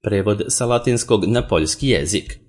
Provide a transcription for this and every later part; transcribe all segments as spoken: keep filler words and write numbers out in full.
Prevod sa latinskog na poljski jezik.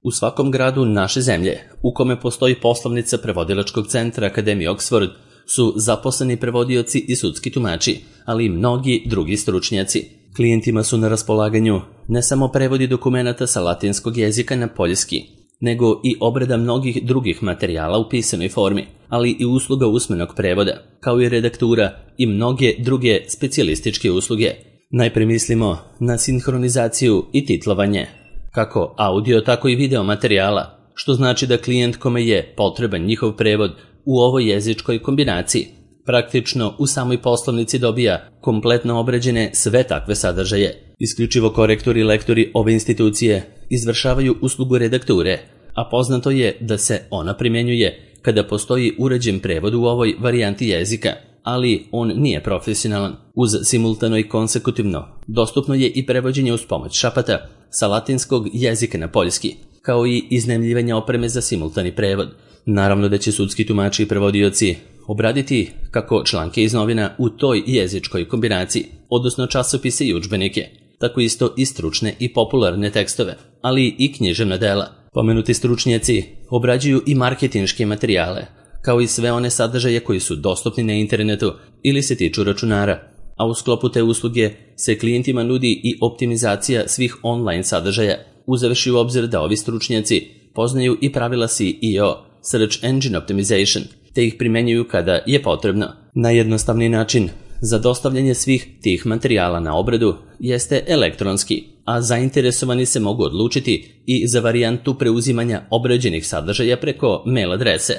U svakom gradu naše zemlje, u kome postoji poslovnica prevodilačkog centra Akademije Oxford, su zaposleni prevodioci i sudski tumači, ali i mnogi drugi stručnjaci. Klijentima su na raspolaganju ne samo prevodi dokumenata sa latinskog jezika na poljski, nego i obrada mnogih drugih materijala u pisanoj formi, ali i usluga usmenog prevoda, kao i redaktura i mnoge druge specijalističke usluge. Najpre mislimo na sinhronizaciju i titlovanje, kako audio, tako i video materijala, što znači da klijent kome je potreban njihov prevod u ovoj jezičkoj kombinaciji praktično u samoj poslovnici dobija kompletno obrađene sve takve sadržaje. Isključivo korektori i lektori ove institucije izvršavaju uslugu redakture, a poznato je da se ona primjenjuje kada postoji uređen prevod u ovoj varijanti jezika, ali on nije profesionalan. Uz simultano i konsekutivno dostupno je i prevođenje uz pomoć šapata sa latinskog jezika na poljski, kao i iznajmljivanje opreme za simultani prevod. Naravno da će sudski tumači i prevodioci obraditi kako članke iz novina u toj jezičkoj kombinaciji, odnosno časopise i udžbenike, tako isto i stručne i popularne tekstove, ali i književna dela. Pomenuti stručnjaci obrađuju i marketinške materijale, kao i sve one sadržaje koji su dostupni na internetu ili se tiču računara, a u sklopu te usluge se klijentima nudi i optimizacija svih online sadržaja, uzevši u obzir da ovi stručnjaci poznaju i pravila S E O, Search Engine Optimization, te ih primenjuju kada je potrebno. Najjednostavniji način za dostavljanje svih tih materijala na obradu jeste elektronski, a zainteresovani se mogu odlučiti i za varijantu preuzimanja obrađenih sadržaja preko mail adrese,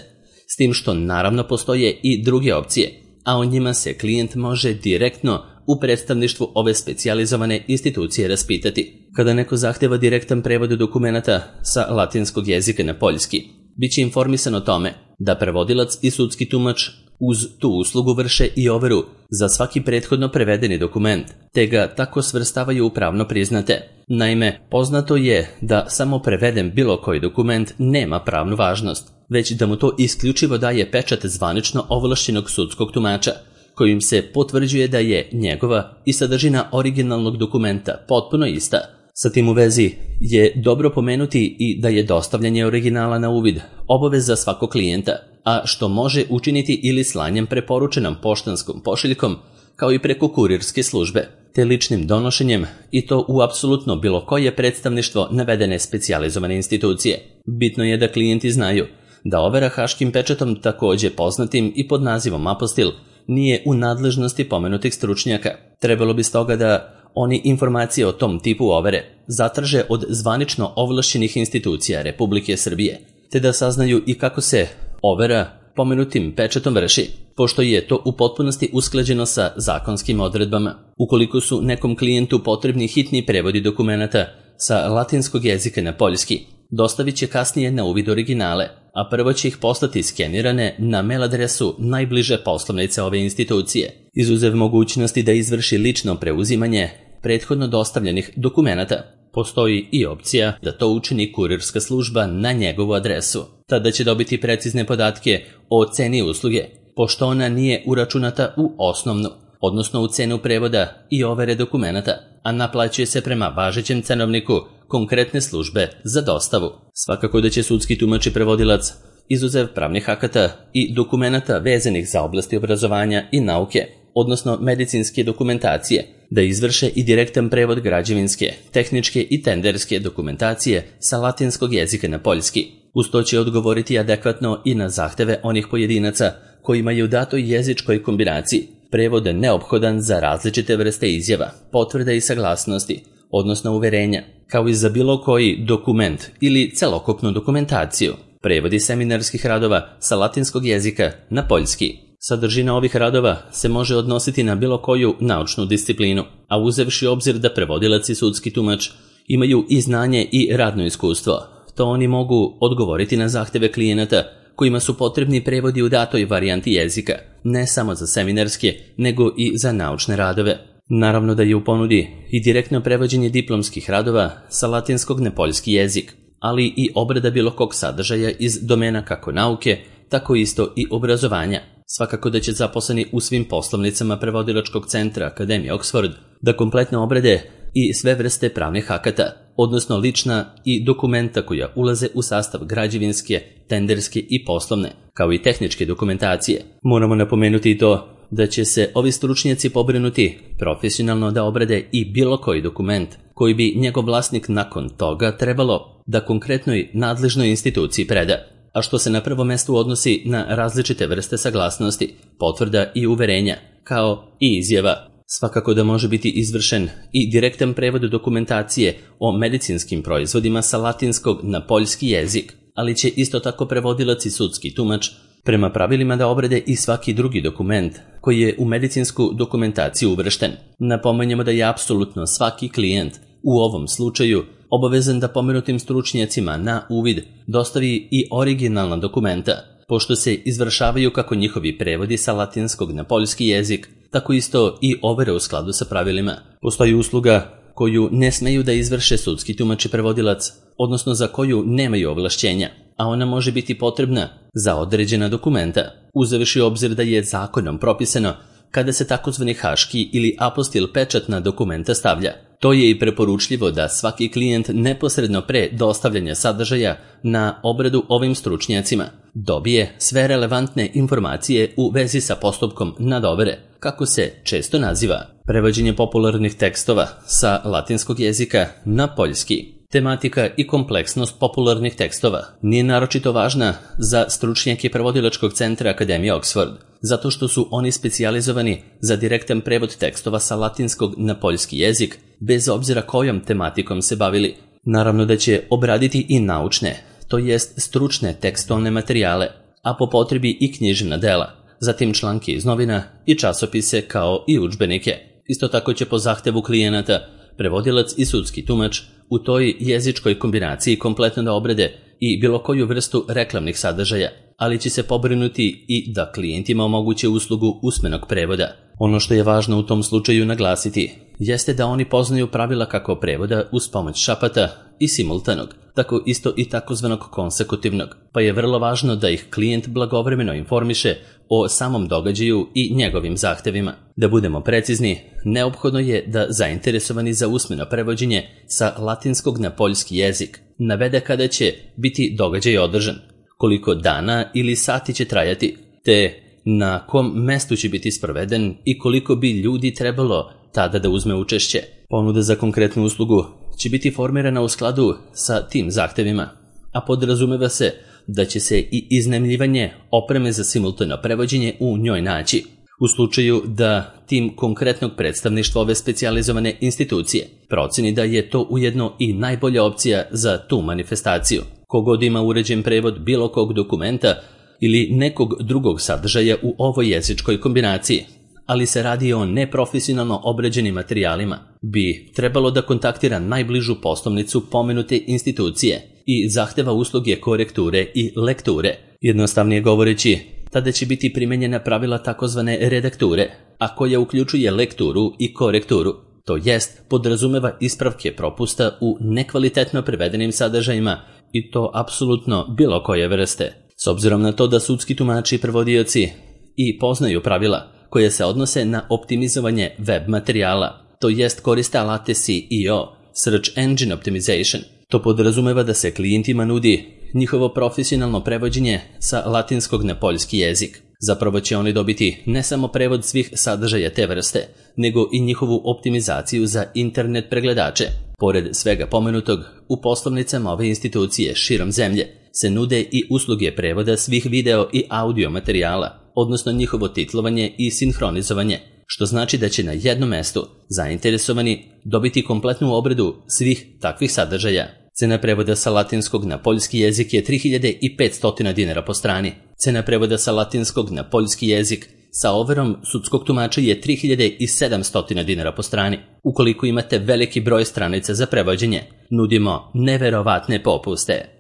s tim što naravno postoje i druge opcije, a o njima se klijent može direktno u predstavništvu ove specijalizovane institucije raspitati. Kada neko zahteva direktan prevod dokumenata sa latinskog jezika na poljski, biće informisan o tome da prevodilac i sudski tumač uz tu uslugu vrše i overu za svaki prethodno prevedeni dokument, te ga tako svrstavaju u pravno priznate. Naime, poznato je da samo preveden bilo koji dokument nema pravnu važnost, već da mu to isključivo daje pečat zvanično ovlašćenog sudskog tumača, kojim se potvrđuje da je njegova i sadržina originalnog dokumenta potpuno ista. Sa tim u vezi je dobro pomenuti i da je dostavljanje originala na uvid obaveza svakog klijenta, a što može učiniti ili slanjem preporučenom poštanskom pošiljkom, kao i preko kurirske službe, te ličnim donošenjem i to u apsolutno bilo koje predstavništvo navedene specijalizovane institucije. Bitno je da klijenti znaju da overa haškim pečatom, također poznatim i pod nazivom apostil, nije u nadležnosti pomenutih stručnjaka. Trebalo bi stoga da oni informacije o tom tipu overe zatraže od zvanično ovlašćenih institucija Republike Srbije, te da saznaju i kako se overa pomenutim pečatom vrši, pošto je to u potpunosti usklađeno sa zakonskim odredbama. Ukoliko su nekom klijentu potrebni hitni prevodi dokumenata sa latinskog jezika na poljski, dostavit će kasnije na uvid originale, a prvo će ih poslati skenirane na mail adresu najbliže poslovnice ove institucije, izuzev mogućnosti da izvrši lično preuzimanje prethodno dostavljenih dokumenata. Postoji i opcija da to učini kurirska služba na njegovu adresu. Tada će dobiti precizne podatke o ceni usluge, pošto ona nije uračunata u osnovnu, odnosno u cenu prevoda i overe dokumenata, a naplaćuje se prema važećem cenovniku konkretne službe za dostavu. Svakako da će sudski tumač i prevodilac, izuzev pravnih akata i dokumenata vezanih za oblasti obrazovanja i nauke, odnosno medicinske dokumentacije, da izvrše i direktan prevod građevinske, tehničke i tenderske dokumentacije sa latinskog jezika na poljski. Uz to će odgovoriti adekvatno i na zahteve onih pojedinaca kojima je u datoj jezičkoj kombinaciji prevod neophodan za različite vrste izjava, potvrda i saglasnosti, odnosno uverenja, kao i za bilo koji dokument ili celokupnu dokumentaciju. Prevodi seminarskih radova sa latinskog jezika na poljski. Sadržina ovih radova se može odnositi na bilo koju naučnu disciplinu, a uzevši obzir da prevodilac i sudski tumač imaju i znanje i radno iskustvo, to oni mogu odgovoriti na zahteve klijenata kojima su potrebni prevodi u datoj varijanti jezika, ne samo za seminarske, nego i za naučne radove. Naravno da je u ponudi i direktno prevođenje diplomskih radova sa latinskog na poljski jezik, ali i obrada bilo kog sadržaja iz domena kako nauke, tako isto i obrazovanja. Svakako da će zaposleni u svim poslovnicama prevodilačkog centra Akademije Oxford da kompletno obrade i sve vrste pravnih akata, odnosno lična i dokumenta koja ulaze u sastav građevinske, tenderske i poslovne, kao i tehničke dokumentacije. Moramo napomenuti i to da će se ovi stručnjaci pobrinuti profesionalno da obrade i bilo koji dokument koji bi njegov vlasnik nakon toga trebalo da konkretnoj nadležnoj instituciji preda, a što se na prvo mesto odnosi na različite vrste saglasnosti, potvrda i uverenja, kao i izjava. Svakako da može biti izvršen i direktan prevod dokumentacije o medicinskim proizvodima sa latinskog na poljski jezik, ali će isto tako prevodilac i sudski tumač prema pravilima da obrade i svaki drugi dokument koji je u medicinsku dokumentaciju uvršten. Napomenjamo da je apsolutno svaki klijent u ovom slučaju obavezan da pomenutim stručnjacima na uvid dostavi i originalna dokumenta, pošto se izvršavaju kako njihovi prevodi sa latinskog na poljski jezik, tako isto i overe u skladu sa pravilima. Postoji usluga koju ne smeju da izvrše sudski tumač i prevodilac, odnosno za koju nemaju ovlašćenja, a ona može biti potrebna za određena dokumenta, uzevši u obzir da je zakonom propisano kada se takozvani haški ili apostil pečat na dokumenta stavlja. To je i preporučljivo da svaki klijent neposredno pre dostavljanja sadržaja na obradu ovim stručnjacima dobije sve relevantne informacije u vezi sa postupkom nadovere, kako se često naziva prevođenje popularnih tekstova sa latinskog jezika na poljski. Tematika i kompleksnost popularnih tekstova nije naročito važna za stručnjake prevodilačkog centra Akademije Oxford, zato što su oni specijalizovani za direktan prevod tekstova sa latinskog na poljski jezik, bez obzira kojom tematikom se bavili. Naravno da će obraditi i naučne, to jest stručne tekstovne materijale, a po potrebi i književna dela, zatim članke iz novina i časopise kao i udžbenike. Isto tako će po zahtevu klijenata prevodilac i sudski tumač u toj jezičkoj kombinaciji kompletno da obrade i bilo koju vrstu reklamnih sadržaja, ali će se pobrinuti i da klijentima omoguće uslugu usmenog prevoda. Ono što je važno u tom slučaju naglasiti jeste da oni poznaju pravila kako prevoda uz pomoć šapata i simultanog, tako isto i takozvanog konsekutivnog, pa je vrlo važno da ih klijent blagovremeno informiše o samom događaju i njegovim zahtevima. Da budemo precizni, neophodno je da zainteresovani za usmeno prevođenje sa latinskog na poljski jezik navede kada će biti događaj održan, koliko dana ili sati će trajati, te na kom mestu će biti sproveden i koliko bi ljudi trebalo tada da uzme učešće. Ponuda za konkretnu uslugu će biti formirana u skladu sa tim zahtevima, a podrazumeva se da će se i iznajmljivanje opreme za simultano prevođenje u njoj naći. U slučaju da tim konkretnog predstavništva ove specijalizovane institucije proceni da je to ujedno i najbolja opcija za tu manifestaciju. Kogod ima uređen prevod bilo kog dokumenta ili nekog drugog sadržaja u ovoj jezičkoj kombinaciji, ali se radi o neprofesionalno obrađenim materijalima, bi trebalo da kontaktira najbližu poslovnicu pomenute institucije i zahteva usluge korekture i lekture. Jednostavnije govoreći, tada će biti primenjena pravila takozvane redakture, a koja uključuje lekturu i korekturu, to jest podrazumeva ispravke propusta u nekvalitetno prevedenim sadržajima i to apsolutno bilo koje vrste. S obzirom na to da sudski tumači i prevodioci i poznaju pravila koje se odnose na optimizovanje web materijala, to jest koriste alate S E O, Search Engine Optimization. To podrazumeva da se klijentima nudi njihovo profesionalno prevođenje sa latinskog na poljski jezik. Zapravo će oni dobiti ne samo prevod svih sadržaja te vrste, nego i njihovu optimizaciju za internet pregledače. Pored svega pomenutog, u poslovnicama ove institucije širom zemlje se nude i usluge prevoda svih video i audio materijala, odnosno njihovo titlovanje i sinhronizovanje, što znači da će na jednom mestu zainteresovani dobiti kompletnu obradu svih takvih sadržaja. Cena prevoda sa latinskog na poljski jezik je tri hiljade petsto dinara po strani. Cena prevoda sa latinskog na poljski jezik sa overom sudskog tumača je tri hiljade sedamsto dinara po strani. Ukoliko imate veliki broj stranica za prevođenje, nudimo neverovatne popuste.